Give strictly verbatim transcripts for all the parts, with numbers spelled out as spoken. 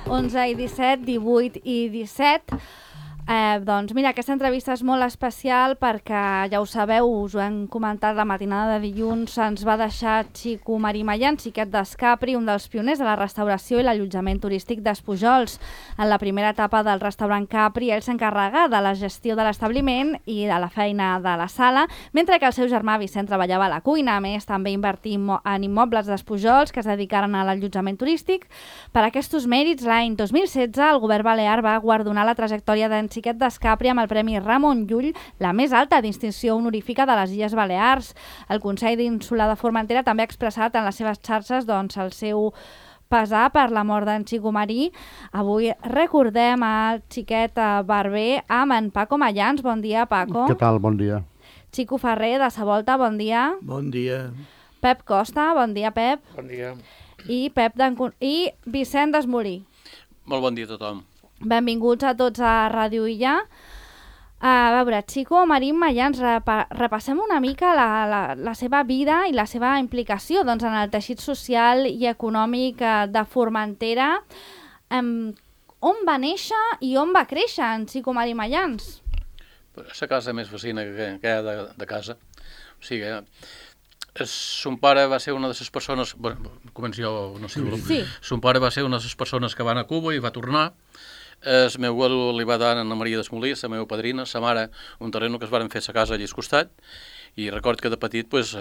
onze i disset, divuit i disset. Eh, doncs mira, aquesta entrevista és molt especial perquè, ja ho sabeu, us ho hem comentat la matinada de dilluns, ens va deixar Xico Marimallan, xiquet d'Escapri, un dels pioners de la restauració i l'allotjament turístic d'Espujols. En la primera etapa del restaurant Capri, ell s'encarrega de la gestió de l'establiment i de la feina de la sala, mentre que el seu germà Vicent treballava a la cuina. A més, també invertí en immobles d'Espujols que es dedicaren a l'allotjament turístic. Per aquests mèrits, l'any dos mil setze, el govern balear va guardonar la trajectòria d'en Xiquet d'Escapri amb el Premi Ramon Llull, la més alta distinció honorífica de les Illes Balears. El Consell d'Insular de Formentera també ha expressat en les seves xarxes doncs, el seu pesar per la mort d'en Xico Marí. Avui recordem el xiquet barber amb en Paco Mayans. Bon dia, Paco. Què tal? Bon dia. Xico Ferrer, de Sa Volta, bon dia. Bon dia. Pep Costa, bon dia, Pep. Bon dia. I, Pep I Vicent Desmolí. Molt bon dia a tothom. Benvinguts a tots a Ràdio Illa. A veure, Xico Marí Mayans, repa repassem una mica la, la, la seva vida i la seva implicació doncs, en el teixit social i econòmic de Formentera. Um, on va néixer i on va créixer en Xico Marí Mayans? És la casa més vecina que, que hi ha de, de casa. O sigui, es, son pare va ser una de les persones... Bueno, començo jo, no sé. Sí. Son pare va ser una de les persones que van a Cuba i va tornar. El meu abuelo li va dar a Anna Maria Desmolí, la meva padrina, sa mare, un terreno que es varen fer a casa allà al costat, i record que de petit pues,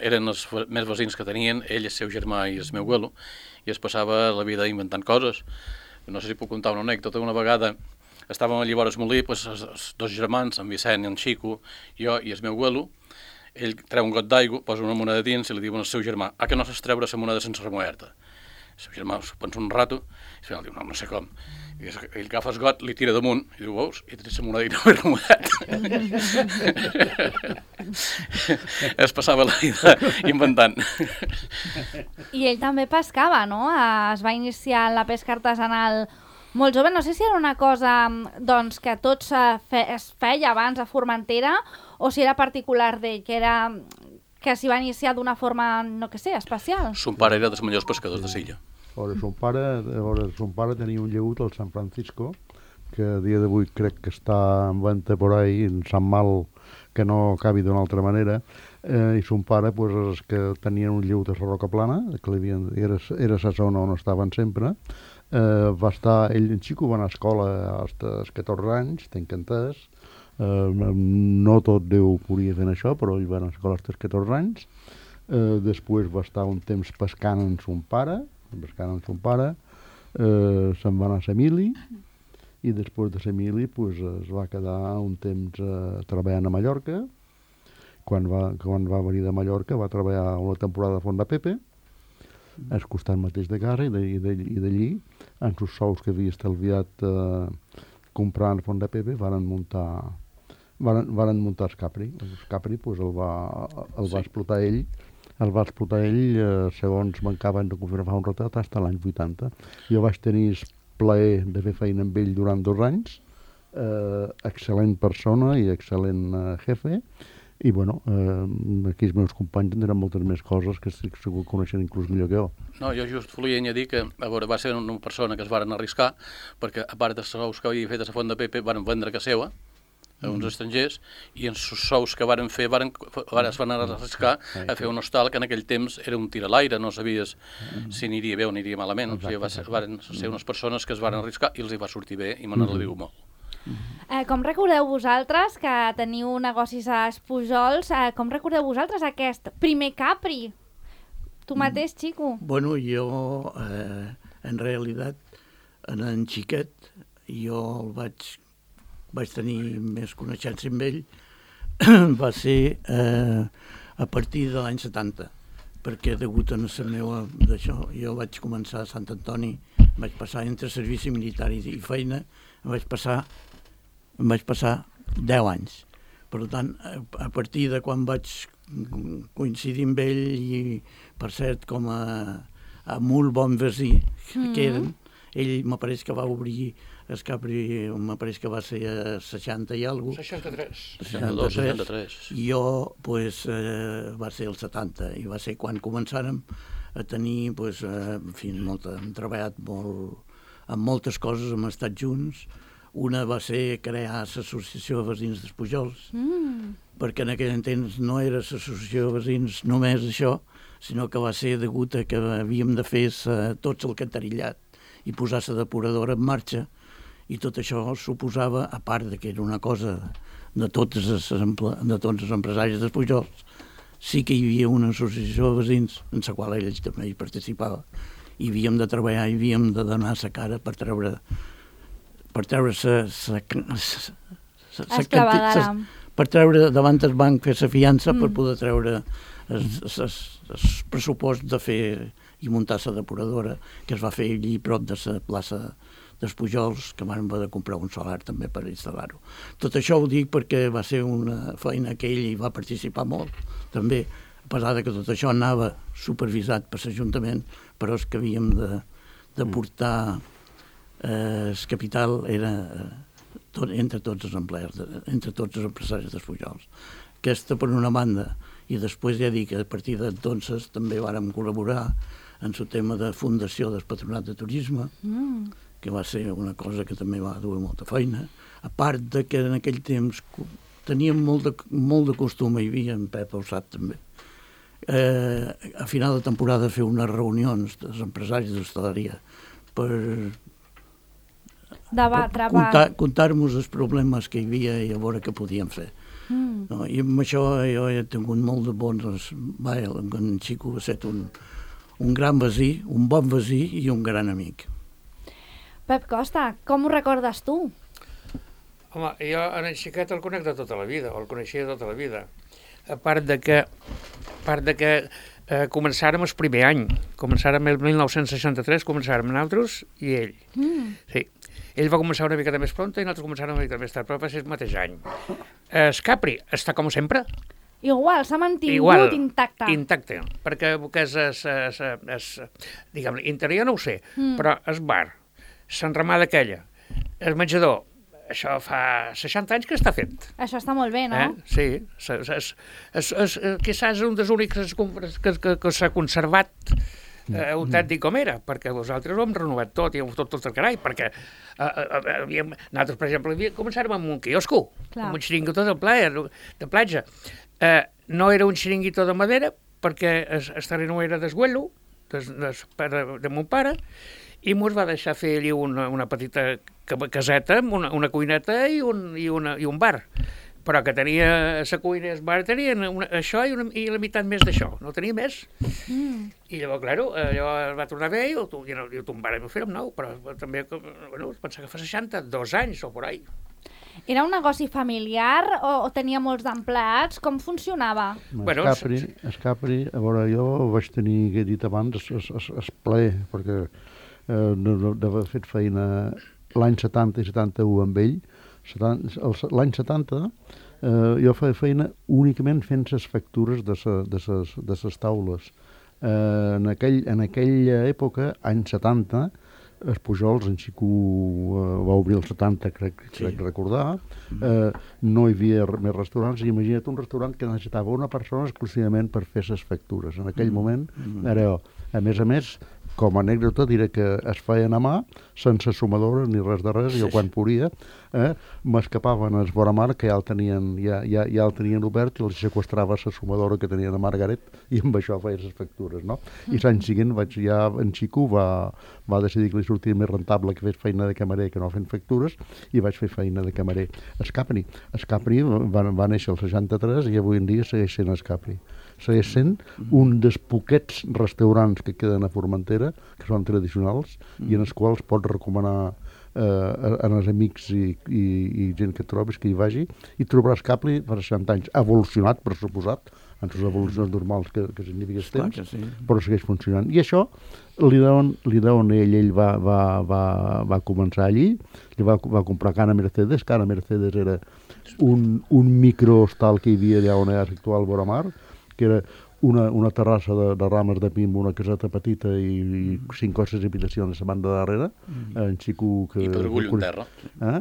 eren els més veïns que tenien, ell, el seu germà i el meu abuelo, i es passava la vida inventant coses. No sé si puc contar una anècdota. Una vegada estàvem allà vora el molí, pues, els, els dos germans, en Vicent i en Xico, jo i el meu abuelo, ell treu un got d'aigua, posa una moneda dins i li diuen al seu germà: ah, que no saps treure la moneda sense remuer-te? El seu germà s'ho pensa un rato i al final diu: no, no sé com. I ell agafa el got, li tira damunt i diu: veus? I tret la moneda i no m'he remuat. Es passava la vida inventant. I ell també pescava, no? Es va iniciar en la pesca artesanal molt jove. No sé si era una cosa doncs, que tot es feia abans a Formentera o si era particular d'ell, que era que s'hi va iniciar d'una forma, no que sé, especial. Son pare era dels millors pescadors de l'illa. Son pare, son pare tenia un llegut al San Francisco, que a dia d'avui crec que està en venda por ahí, en Sant Mal, que no acabi d'una altra manera, eh, i son pare, pues, els que tenien un llegut a la Roca Plana, que li havien, era, era la zona on estaven sempre, eh, va estar, ell en Xico va anar a escola als catorze anys, tenc entès, Uh, no tot Déu podia fer això, però ell va anar a escola als catorze anys. Uh, després va estar un temps pescant amb son pare, pescant amb son pare, uh, se'n va anar a Semili, i després de Semili pues, es va quedar un temps uh, treballant a Mallorca. Quan va, quan va venir de Mallorca va treballar una temporada a Font de Pepe, al costat mateix de casa, i d'allí, amb els sous que havia estalviat uh, comprant Font de Pepe, varen muntar Varen, varen muntar el Capri. El Capri pues, el, va, el va Sí. explotar ell, el va explotar ell, eh, segons m'acaben de confirmar un retrat, fins a l'any vuitanta. Jo vaig tenir el plaer de fer feina amb ell durant dos anys, eh, excel·lent persona i excel·lent eh, jefe, i bueno, eh, aquí els meus companys en tenen moltes més coses que segur que coneixen inclús millor que jo. No, jo just volia añadir que a veure, va ser una persona que es varen arriscar, perquè a part dels sous que havia fet a la Font de Pepe, varen vendre casa seva a uns estrangers, i en els sous que varen fer varen, es van arriscar a fer un hostal que en aquell temps era un tir a l'aire, no sabies si aniria bé o aniria malament. O sigui, va ser, varen ser unes persones que es varen arriscar i els hi va sortir bé i me n'alegro molt. Eh, com recordeu vosaltres, que teniu negocis a Espujols, eh, com recordeu vosaltres aquest primer Capri? Tu mateix, Xico? Bueno, jo, eh, en realitat, en en Xiquet, jo el vaig, vaig tenir més coneixença amb ell, va ser eh, a partir de l'any setanta, perquè degut a la meva d'això, jo vaig començar a Sant Antoni, vaig passar entre servici militar i feina, vaig passar, vaig passar deu anys. Per tant, a partir de quan vaig coincidir amb ell, i per cert, com a, a molt bon vecí mm-hmm. que eren, ell m'apareix que va obrir el Capri, m'apareix que va ser a seixanta i alguna cosa. seixanta-tres. seixanta-tres. seixanta-tres. I jo, pues, eh, va ser el setanta, i va ser quan començàrem a tenir, pues, eh, en fi, molt, hem treballat molt en moltes coses hem estat junts. Una va ser crear l'Associació de Veïns d'Espujols, mm. perquè en aquell temps no era l'Associació de Veïns només això, sinó que va ser degut a que havíem de fer tots el cantarillat i posar la depuradora en marxa, i tot això suposava, a part de que era una cosa de tots els, de tots els empresaris d'Espujols, sí que hi havia una associació de veïns en la qual ells també hi participava, i havíem de treballar i havíem de donar la cara per treure per treure sa, sa, sa, sa, sa, sa, per treure davant el banc, fer la fiança mm. per poder treure el pressupost de fer i muntar la depuradora, que es va fer allí prop de la plaça dels Pujols, que van haver de comprar un solar també per instal·lar-ho. Tot això ho dic perquè va ser una feina que ell hi va participar molt, també, a pesar de que tot això anava supervisat per l'Ajuntament, però és que havíem de, de portar eh, el capital era eh, tot, entre tots els empleats, entre tots els empresaris dels Pujols. Aquesta per una banda, i després ja dic que a partir d'entonces també vàrem col·laborar en el tema de fundació del Patronat de Turisme, mm. que va ser una cosa que també va dur molta feina, a part de que en aquell temps teníem molt de, molt de costum, hi havia en Pep ho sap també, eh, a final de temporada fer unes reunions dels empresaris d'hostaleria per debatre, contar, contar-nos els problemes que hi havia i a veure què podíem fer. Mm. No, i amb això jo he tingut molt de bons... Va, en Xico va ser un, un gran veí, un bon veí i un gran amic. Pep Costa, com ho recordes tu? Home, jo en el xiquet el conec de tota la vida, el coneixia de tota la vida. A part de que, a part de que eh, començàrem el primer any, començàrem el mil nou-cents seixanta-tres, començàrem nosaltres i ell. Mm. Sí. Ell va començar una mica més pronta i nosaltres començàrem una mica més tard, però va ser el mateix any. El Capri està com sempre. Igual, s'ha mantingut Igual, intacte. Intacte, perquè que és, és, és, és diguem, interior no ho sé, mm. però el bar, l'enramada aquella, el menjador, això fa seixanta anys que està fet. Això està molt bé, no? Eh? Sí, és, és, és, és, quizás un dels únics que, que, que s'ha conservat eh, un tant dic com era, perquè vosaltres ho hem renovat tot, i heu tot, tot el carai, perquè eh, eh, havíem, nosaltres, per exemple, havíem, començàrem amb un quiosco, Clar. amb un xiringuito de playa, de platja. Eh, no era un xiringuito de madera, perquè el, el terreno era d'esguello, des, des, de, de mon pare, i mos va deixar fer allí una, una petita caseta, amb una, una cuineta i un, i, una, i un bar. Però que tenia la cuina i el bar tenien una, això i, una, i la meitat més d'això, no tenia més. Mm. I llavors, clar, allò va tornar bé i ho, i ho, ho tombarem a fer amb nou, però també, bueno, pensava que fa seixanta, dos anys o por ahí. Era un negoci familiar o, o tenia molts empleats? Com funcionava? Bueno, Escapri, Escapri, a veure, jo vaig tenir, que he dit abans, es, es, es ple, perquè eh, d'haver fet feina l'any setanta i setanta-u amb ell. L'any setanta eh, jo feia feina únicament fent les factures de les taules. Eh, en, aquell, en aquella època, any setanta, els Pujols, en Xico eh, va obrir el setanta, crec, crec sí. recordar, eh, no hi havia més restaurants, i imagina't un restaurant que necessitava una persona exclusivament per fer les factures. En aquell mm. moment era jo. A més a més, com a anècdota diré que es feien a mà, sense sumadora ni res de res, sí. jo quan podia, eh, m'escapaven als Boramar, que ja el tenien, ja, ja, ja el tenien obert, i els sequestrava la sumadora que tenien a Margaret, i amb això feia les factures, no? I l'any següent vaig, ja en Xico va, va decidir que li sortia més rentable que fes feina de camarer que no fent factures, i vaig fer feina de camarer. Escapri, Escapri va, va néixer el seixanta-tres i avui en dia segueix sent Escapri. Segueix sent un dels poquets restaurants que queden a Formentera, que són tradicionals, mm. i en els quals pots recomanar eh, als amics i, i, i gent que et trobis que hi vagi, i trobaràs Capri per seixanta anys, evolucionat, per suposat, en les evolucions normals que, que significa el temps, sí. però segueix funcionant. I això li deuen, li deuen ell, ell va, va, va, va començar allí, li va, va comprar Cana Mercedes, Cana Mercedes era un, un microhostal que hi havia allà on era l'actual Boramar, que era una, una terrassa de, de rames de pi amb una caseta petita i, i cinc o sis habitacions a la banda darrere, mm. en Xico... Que, I pedregullo en terra. Eh?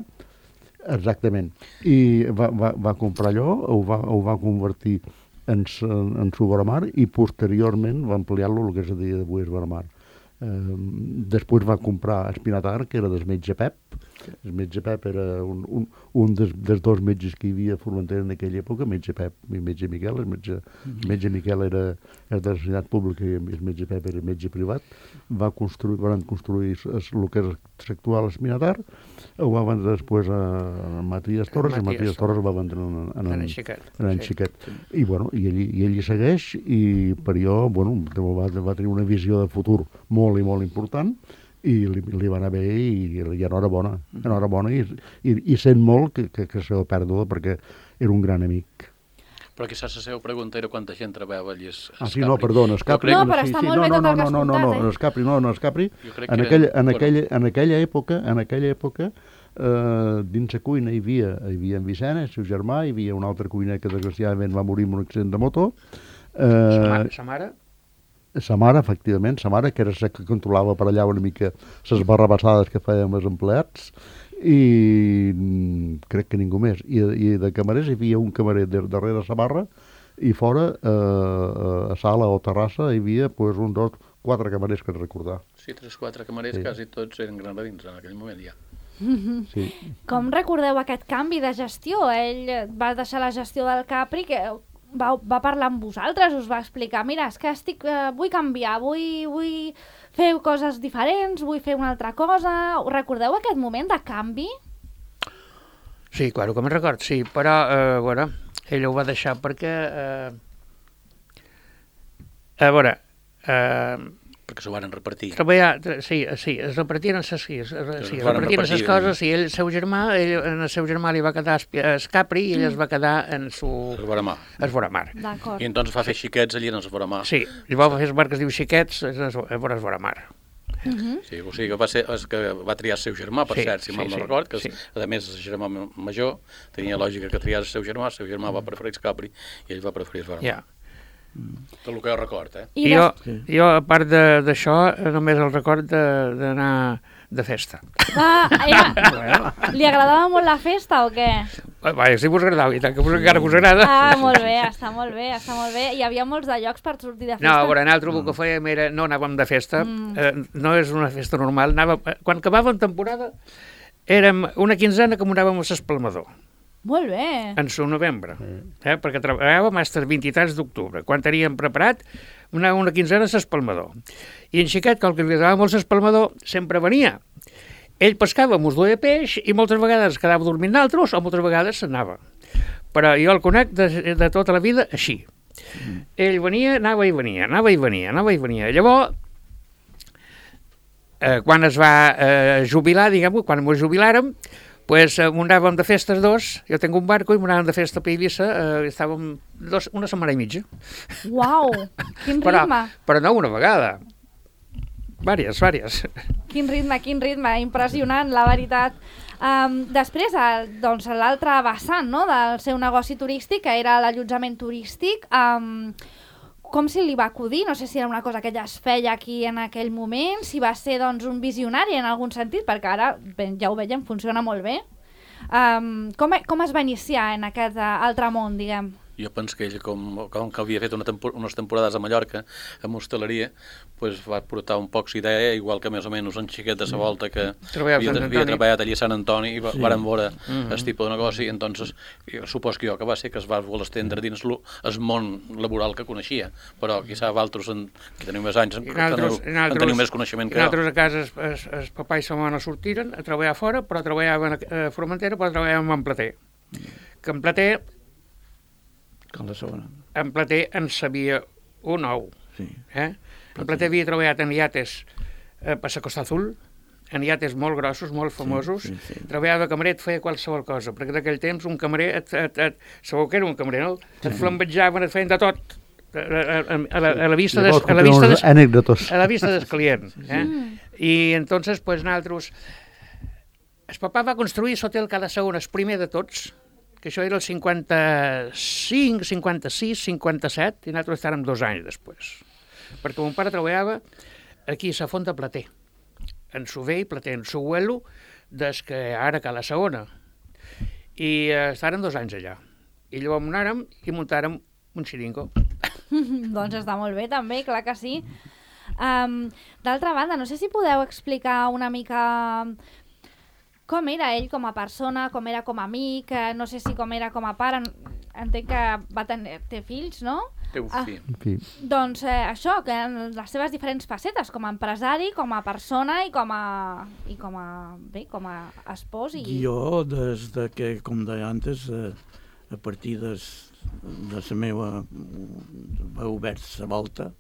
Exactament. I va, va, va comprar allò, ho va, ho va convertir en, en, en su Boramar, i posteriorment va ampliar-lo el que és a dia d'avui és Boramar. Eh, després va comprar Espinatar, que era del metge Pep. El metge Pep era un, un, un dels, dels dos metges que hi havia a Formentera en aquella època, metge Pep i metge Miquel. El metge, el metge Miquel era, era de la sanitat pública i el metge Pep era metge privat. Va construir, van construir es, el que és l'actual Espinatar, ho va vendre després a, a Matías Torres, i Matías Torres ho va vendre en, en, en, en Xiquet. En en Xiquet. Sí. I, bueno, i, ell, i ell hi segueix, i per jo bueno, va, va tenir una visió de futur molt i molt important, i li, li va anar bé, i, i enhorabona, enhorabona, i, i, i sent molt que, que, que s'ha perdut, perquè era un gran amic. Però quizás la seva pregunta era quanta gent treballava allí. Ah, sí, no, perdona, Escapri. No, però està molt bé tot el que has contat, eh? No, no, no, Escapri, no, no, Escapri. En aquella, en aquella, en aquella època, en aquella època, eh, dins la cuina hi havia, hi havia en Vicent, el seu germà, hi havia un altre cuiner que desgraciadament va morir en un accident de moto. Eh, sa mare? Sa mare, efectivament, sa mare, que era la que controlava per allà una mica les barrabassades que fèiem els empleats, i crec que ningú més. I, i de camarers hi havia un camarer de, darrere la barra, i fora, eh, a sala o terrassa, hi havia pues, un, dos, quatre camarers que recordar. Sí, tres, quatre camarers, sí. Quasi tots eren granadins en aquell moment ja. Mm-hmm. Sí. Com recordeu aquest canvi de gestió? Ell va deixar la gestió del Capri, que va, va parlar amb vosaltres, us va explicar, mira, és que estic, eh, vull canviar, vull, vull fer coses diferents, vull fer una altra cosa. Recordeu aquest moment de canvi? Sí, claro que me'n record, sí, però, eh, a veure, ell ho va deixar perquè, eh, a veure, eh, perquè s'ho van repartir. Treballar, sí, sí, es repartien les, sí, es, sí, es repartien les coses, i ell, el seu germà, ell, en el seu germà li va quedar Escapri, i ell mm. es va quedar en su... Es Voramar. Es Voramar. D'acord. I entonces va fer xiquets allí en es Voramar. Sí, llavors va fer el bar que es diu Xiquets, es, es Voramar. Uh -huh. Sí, o sigui que va, ser, que va triar el seu germà, per sí, cert, si sí, mal no sí, record, que sí. a més el germà major tenia lògica que triés el seu germà, el seu germà va preferir Escapri i ell va preferir es Voramar. Ja. Tot el que jo record, eh? I jo, jo a part d'això, només el record d'anar de festa. Ah, era... Li agradava molt la festa o què? Vaja, si vos agradava, i tant que vos encara vos agrada. Ah, molt bé, està molt bé, està molt bé. Hi havia molts de llocs per sortir de festa? No, a veure, nosaltres el que fèiem era, no anàvem de festa, mm. eh, no és una festa normal, anàvem, quan acabàvem temporada, érem una quinzena que anàvem a l'Espalmador. Molt bé. En su novembre, eh, perquè treballàvem fins al vint-i-tres d'octubre. Quan teníem preparat, anàvem una quinzena a l'Espalmador. I en Xiquet, que el que li agradava molt l'Espalmador, sempre venia. Ell pescava, mos duia peix, i moltes vegades quedava dormint d'altres, o moltes vegades s'anava. Però jo el conec de, de tota la vida així. Mm. Ell venia, anava i venia, anava i venia, anava i venia. Llavors, eh, quan es va eh, jubilar, diguem-ho, quan ens jubilàrem, pues, eh, anàvem de festes dos, jo tinc un barco i anàvem de festa a Eivissa, eh, estàvem dos, una setmana i mitja. Uau, quin però, ritme. Però no una vegada, vàries, vàries. Quin ritme, quin ritme, impressionant, la veritat. Um, després, el, doncs, l'altre vessant, no?, del seu negoci turístic, que era l'allotjament turístic, um, com se li va acudir? No sé si era una cosa que ja es feia aquí en aquell moment, si va ser doncs, un visionari en algun sentit, perquè ara, ben, ja ho veiem, funciona molt bé. Um, com, com es va iniciar en aquest uh, altre món, diguem? Jo penso que ell, com, com que havia fet una tempor unes temporades a Mallorca, amb hostaleria, pues va portar un poc d'idea, igual que més o menys en Xiquet de la volta que havia, havia treballat allà a Sant Antoni i va, sí. varen veure el mm -hmm. tipus de negoci, i entonces jo supos que jo que va ser que es va voler estendre dins el món laboral que coneixia, però quizà altres en, que teniu més anys en, altres, en, en teniu més coneixement que jo. Nosaltres a casa el, el papà i sa mare sortiren a treballar fora, però treballaven a Formentera, però treballaven en Plater. Que en Plater Com la segona. En Plater en sabia un ou. Sí. Eh? En Plater havia treballat en iates eh, per la Costa Azul, en iates molt grossos, molt famosos. Sí, sí, sí. Treballava de camarer, et feia qualsevol cosa, perquè d'aquell temps un camarer, et, et, et, segur que era un camarer, no? Et flambejaven, et feien de tot. A, a, a, la, a la vista des, a la vista des, a la vista del client. Eh? I entonces, pues, nosaltres... El papà va construir l'hotel cada segon, el primer de tots, que això era el cinquanta-cinc, cinquanta-sis, cinquanta-set, i nosaltres estàvem dos anys després. Perquè mon pare treballava aquí a la Font de Plater, en su vell Plater, en su abuelo, des que ara que a la segona. I eh, estàvem dos anys allà. I llavors anàrem i muntàrem un xiringo. Doncs està molt bé, també, clar que sí. Um, D'altra banda, no sé si podeu explicar una mica com era ell com a persona, com era com a amic, eh, no sé si com era com a pare, entenc que va tenir, té fills, no? Té un Ah, fill. En fi, doncs eh, això, que en les seves diferents facetes, com a empresari, com a persona i com a, i com a, bé, com a espòs. I... Jo, des de que, com deia antes, a, a partir des, de la meva va obert la volta,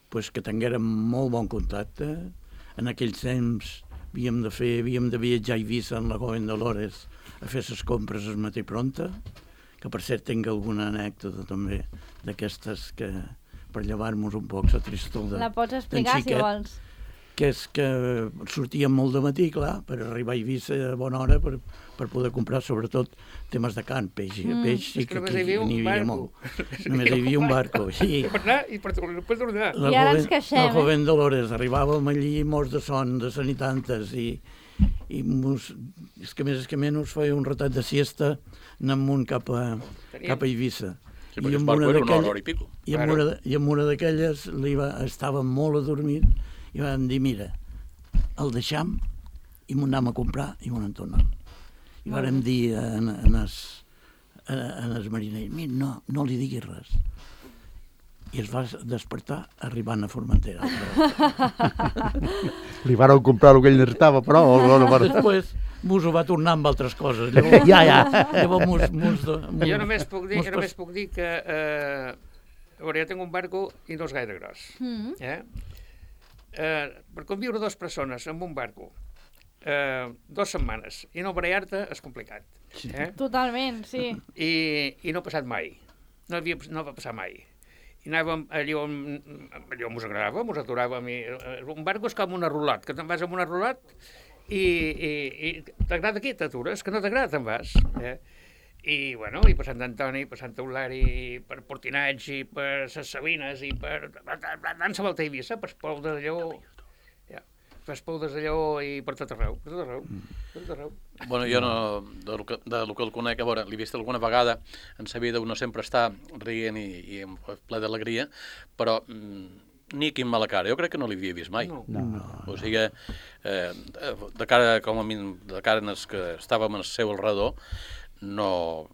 pues que tinguérem molt bon contacte. En aquells temps havíem de fer, havíem de viatjar a Eivissa en la Joven Dolores a fer les compres al matí pronta, que per cert tinc alguna anècdota també d'aquestes que per llevar-nos un poc la tristor de, La pots explicar, si vols. que és que sortíem molt de matí, clar, per arribar a Eivissa a bona hora per, per poder comprar sobretot temes de carn, peix, Mm. peix És i que que només aquí hi havia un n'hi havia barco. molt. Només hi havia un barco. I Per anar i per tornar. Per tornar. la I ara ens joven- queixem, La eh? Joven Dolores, arribàvem allí morts de son, de son i tantes, i, i mos, és que més és que menys feia un ratat de siesta anant amunt cap a, Teníem- cap a Eivissa. Sí, perquè el amb barco una era una hora, d'aquelles- hora i pico. I amb Claro. una, de- i amb una d'aquelles li va, estava molt adormit i vam dir, mira, el deixam i m'ho anem a comprar i m'ho en tornem. I vàrem dir en, en, es, en el mariner, mira, no, no li diguis res. I es va despertar arribant a Formentera. li vàreu comprar el que ell necessitava, però... No, no, no, Després mos ho va tornar amb altres coses. Llavors, ja, ja. llavors mos, mos, mos, Jo només puc dir, mos jo només puc dir que eh, a veure, jo tinc un barco i no és gaire gros. Mm. Eh? Eh, per conviure dues persones en un barco eh, dues setmanes i no barallar-te és complicat. Eh? Totalment, sí. I, I no ha passat mai. No, havia, no va passar mai. I anàvem allò on, allò mos agradava, mos aturàvem. I, eh, un barco és com una rulot, que te'n vas amb una rulot i, i, i t'agrada aquí, t'atures, que no t'agrada, te'n vas. Eh? I, bueno, i per Sant Antoni, per Sant Eulari, per Portinats, i per ses Sabines, i per... Dansa Volta a Eivissa, per Espou de Lleó, ja, per Espou de Lleó i per tot arreu, per tot arreu, per tot arreu. Bueno, jo no, de lo que, de lo que el conec, a veure, l'he vist alguna vegada, en sa vida uno sempre està rient i, i ple d'alegria, però mm, ni quin mala cara, jo crec que no l'havia vist mai. No. No. O sigui, eh, de cara, com a mi, de cara en els que estàvem al seu alrededor, no,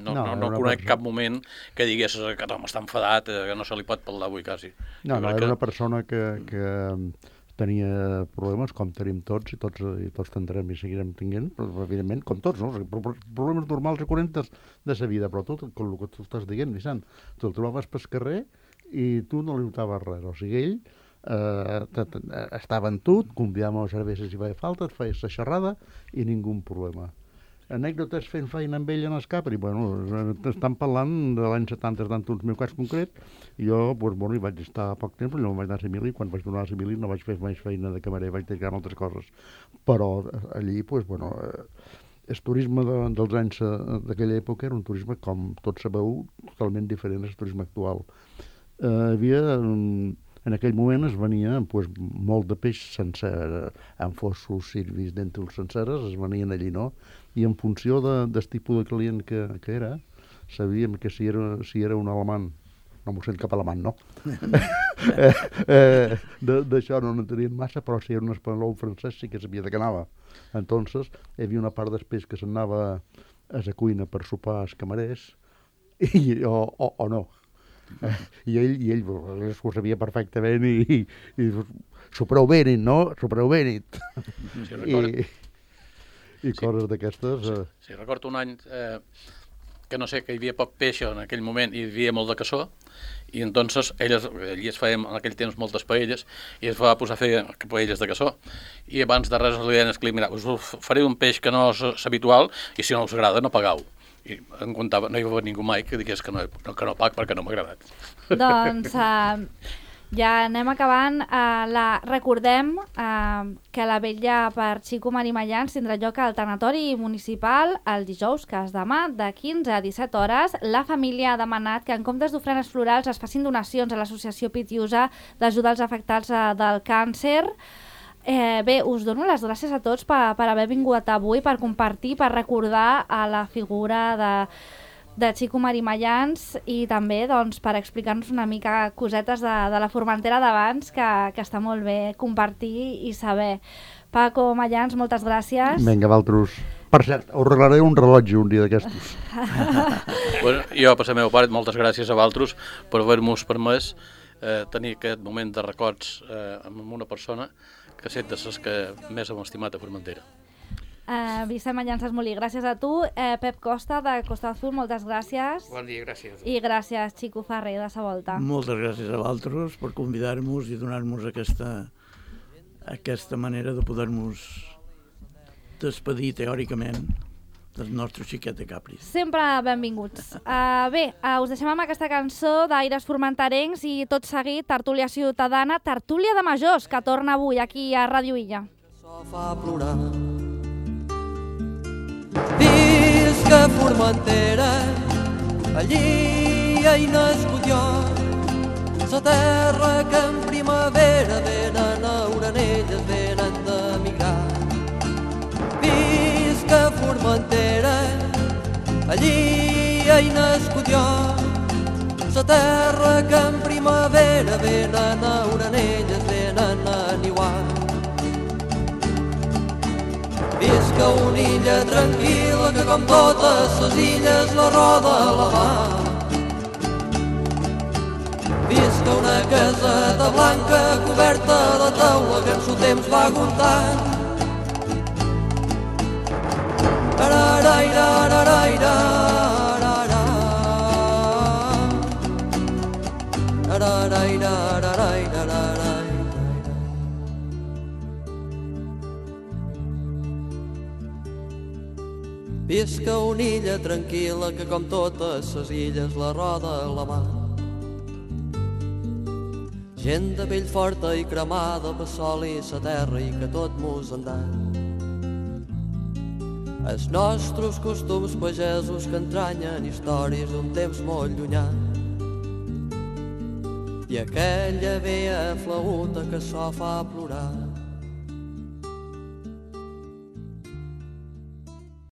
no, no, No, no, era no una conec persona- cap moment que digués que no, està enfadat, eh, que no se li pot parlar avui quasi. No, Jo no, crec era que- una persona que, que tenia problemes, com tenim tots, i tots, i tots tindrem i seguirem tinguent, però, evidentment, com tots, no? O sigui, pro- problemes normals i corrents de sa vida, però tu, com el que tu estàs dient, Vicent, tu el trobaves pel carrer i tu no li notaves res. O sigui, ell eh, t- t- estava en tu, convidàvem a cerveses si feia falta, et feies la xerrada i ningú problema. Anècdotes fent feina amb ell en el Capri, bueno, estan parlant de l'any setanta, tant un meu cas concret, i jo, doncs, bueno, hi vaig estar poc temps, però no vaig anar a Simili, quan vaig tornar a Simili no vaig fer més feina de camarer, vaig dedicar a altres coses. Però allí, doncs, bueno, eh, el turisme de, dels anys eh, d'aquella època era un turisme, com tots sabeu, totalment diferent al turisme actual. Eh, hi havia... mm, en aquell moment es venia pues, molt de peix sencer, eh, en fossos, sirvis, dèntols senceres, es venien allí, no? I en funció de, del tipus de client que, que era, sabíem que si era, si era un alemany, no m'ho sent cap alemany, no? eh, eh, D'això no n'entenien massa, però si era un espanyol francès sí que sabia de què anava. Entonces, hi havia una part del peix que s'anava a la cuina per sopar als camarers, i, o, o, o no. Eh, i ell, i ell ho sabia perfectament i, i, i s'ho prou bé nit, no? S'ho prou bé nit. Sí, recordo, I, i coses d'aquestes... Eh. sí, recordo un any eh, que no sé, que hi havia poc peix en aquell moment i hi havia molt de caçó, i entonces elles, ell es feia en aquell temps moltes paelles i es va posar a fer paelles de caçó, i abans de res li deien al client, mira, us faré un peix que no és habitual i si no us agrada no pagau. I em comptava, no hi va haver ningú mai que digués que no, que no pag perquè no m'ha agradat. Doncs uh, ja anem acabant. Uh, la, recordem uh, que la vetlla per Xico Marimallans tindrà lloc al tanatori municipal el dijous, que és demà, de quinze a disset hores. La família ha demanat que en comptes d'ofrenes florals es facin donacions a l'associació Pitiusa d'ajuda als afectats uh, del càncer. Eh, bé, us dono les gràcies a tots per, per haver vingut avui, per compartir, per recordar a la figura de, de Xico Marimallans i també doncs, per explicar-nos una mica cosetes de, de la Formentera d'abans, que, que està molt bé compartir i saber. Paco Mallans, moltes gràcies. Vinga, Valtros. Per cert, us regalaré un rellotge un dia d'aquestos. Bueno, jo, per la meva part, moltes gràcies a Valtros per haver-nos permès eh, tenir aquest moment de records eh, amb una persona que set de les que més hem estimat a Formentera. Uh, Vicent Mallans Esmolí, gràcies a tu. Uh, Pep Costa, de Costa Azul, moltes gràcies. Bon dia, gràcies. I gràcies, Xico Ferrer, de Sa Volta. Moltes gràcies a Valtros per convidar-nos i donar-nos aquesta, aquesta manera de poder-nos despedir teòricament del nostre xiquet de Capris. Sempre benvinguts. Uh, bé, uh, us deixem amb aquesta cançó d'Aires Formenterencs i tot seguit Tertúlia Ciutadana, Tertúlia de Majors, que torna avui aquí a Ràdio Illa. Això fa plorar. Visca Formentera, allí hi nascut jo, la terra que en primavera venen a orenelles, venen d'emigrar. Visca Formentera, allí hi nascut jo, la terra que en primavera venen a orenelles, venen a niuar. Visca una illa tranquil·la que com totes les illes la roda la mar. Visca una caseta blanca coberta de taula que en su temps va aguntant. Araraira, araraira, araraira, araraira, araraira, araraira. Visca una illa tranquil·la que com totes les illes la roda la mar. Gent de pell forta i cremada per sol i sa terra i que tot mos en dan. Els nostres costums pagesos que entranyen històries d'un temps molt llunyà. I aquella vella flauta que so fa plorar.